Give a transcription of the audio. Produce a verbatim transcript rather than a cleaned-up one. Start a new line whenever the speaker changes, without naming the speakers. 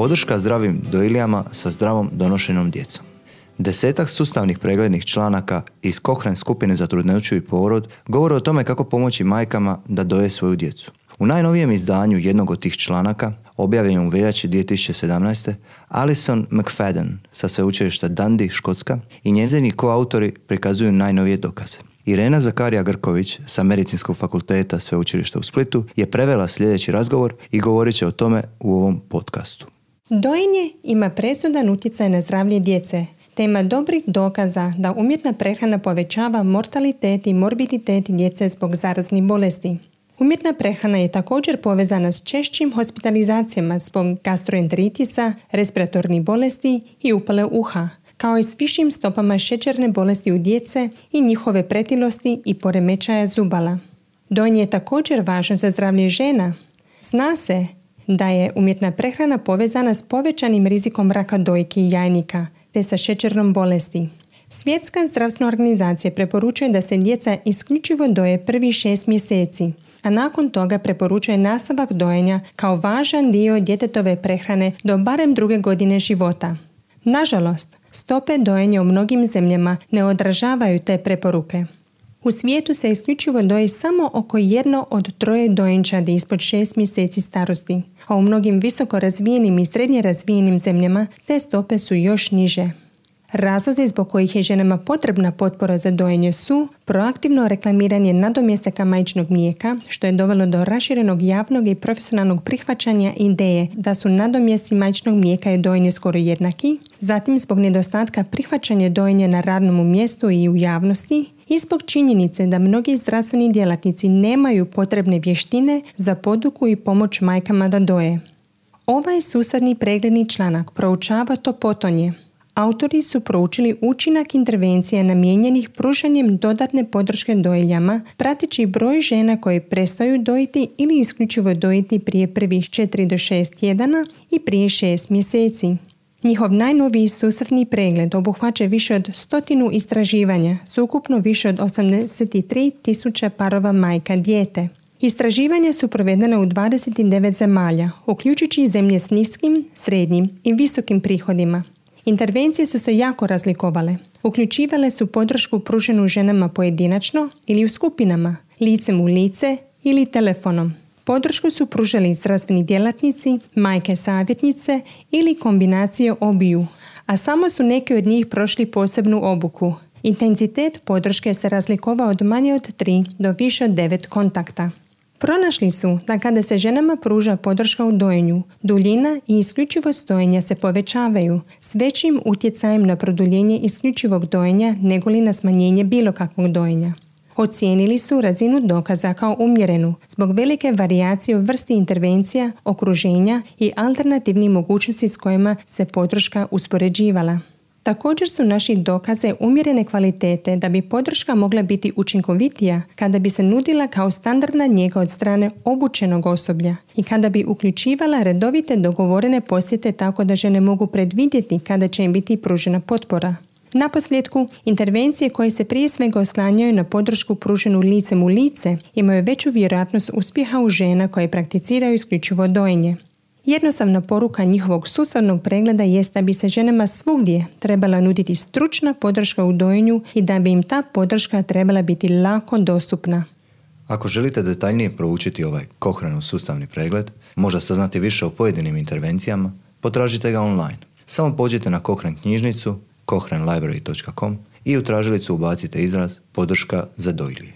Podrška zdravim dojiljama sa zdravom donošenom djecom. Desetak sustavnih preglednih članaka iz Cochrane skupine za trudnoću i porod govore o tome kako pomoći majkama da doje svoju djecu. U najnovijem izdanju jednog od tih članaka, objavljenom u veljači dvije tisuće sedamnaeste. Alison McFadden sa sveučilišta Dundee, Škotska, i njezini koautori prikazuju najnovije dokaze. Irena Zakarija Grković sa Medicinskog fakulteta sveučilišta u Splitu je prevela sljedeći razgovor i govorit će o tome u ovom podcastu.
Dojenje ima presudan utjecaj na zdravlje djece, te ima dobrih dokaza da umjetna prehrana povećava mortalitet i morbiditet djece zbog zaraznih bolesti. Umjetna prehrana je također povezana s češćim hospitalizacijama zbog gastroenteritisa, respiratornih bolesti i upale uha, kao i s višim stopama šećerne bolesti u djece i njihove pretilosti i poremećaja zubala. Dojenje je također važno za zdravlje žena. Zna se da je umjetna prehrana povezana s povećanim rizikom raka dojki i jajnika, te sa šećernom bolesti. Svjetska zdravstvena organizacija preporučuje da se djeca isključivo doje prvi šest mjeseci, a nakon toga preporučuje nastavak dojenja kao važan dio djetetove prehrane do barem druge godine života. Nažalost, stope dojenja u mnogim zemljama ne odražavaju te preporuke. U svijetu se isključivo doji samo oko jedno od troje dojenčadi ispod šest mjeseci starosti, a u mnogim visoko razvijenim i srednje razvijenim zemljama te stope su još niže. Razlozi zbog kojih je ženama potrebna potpora za dojenje su proaktivno reklamiranje nadomjestaka majčinog mlijeka, što je dovelo do raširenog javnog i profesionalnog prihvaćanja ideje da su nadomjesti majčinog mlijeka i dojenje skoro jednaki, zatim zbog nedostatka prihvaćanja dojenja na radnom mjestu i u javnosti i zbog činjenice da mnogi zdravstveni djelatnici nemaju potrebne vještine za poduku i pomoć majkama da doje. Ovaj susadni pregledni članak proučava to potonje. Autori su proučili učinak intervencija namijenjenih pružanjem dodatne podrške dojiljama, prateći broj žena koje prestaju dojiti ili isključivo dojiti prije prvih četiri do šest tjedana i prije šest mjeseci. Njihov najnoviji sustavni pregled obuhvaća više od stotinu istraživanja, ukupno više od osamdeset tri tisuće parova majka dijete. Istraživanja su provedena u dvadeset devet zemalja, uključujući zemlje s niskim, srednjim i visokim prihodima. Intervencije su se jako razlikovale. Uključivale su podršku pruženu ženama pojedinačno ili u skupinama, licem u lice ili telefonom. Podršku su pružali zdravstveni djelatnici, majke savjetnice ili kombinacije obiju, a samo su neki od njih prošli posebnu obuku. Intenzitet podrške se razlikovao od manje od tri do više od devet kontakta. Pronašli su da kada se ženama pruža podrška u dojenju, duljina i isključivost dojenja se povećavaju s većim utjecajem na produljenje isključivog dojenja nego li na smanjenje bilo kakvog dojenja. Ocijenili su razinu dokaza kao umjerenu zbog velike varijacije u vrsti intervencija, okruženja i alternativnih mogućnosti s kojima se podrška uspoređivala. Također su naši dokaze umjerene kvalitete da bi podrška mogla biti učinkovitija kada bi se nudila kao standardna njega od strane obučenog osoblja i kada bi uključivala redovite dogovorene posjete tako da žene mogu predvidjeti kada će im biti pružena potpora. Naposljetku, intervencije koje se prije svega oslanjaju na podršku pruženu licem u lice imaju veću vjerojatnost uspjeha u žena koje prakticiraju isključivo dojenje. Jednostavna poruka njihovog sustavnog pregleda jest da bi se ženama svugdje trebala nuditi stručna podrška u dojenju i da bi im ta podrška trebala biti lako dostupna.
Ako želite detaljnije proučiti ovaj Cochrane sustavni pregled, možda saznati više o pojedinim intervencijama, potražite ga online. Samo pođite na Cochrane knjižnicu cochrane library dot com i u tražilicu ubacite izraz podrška za dojilje.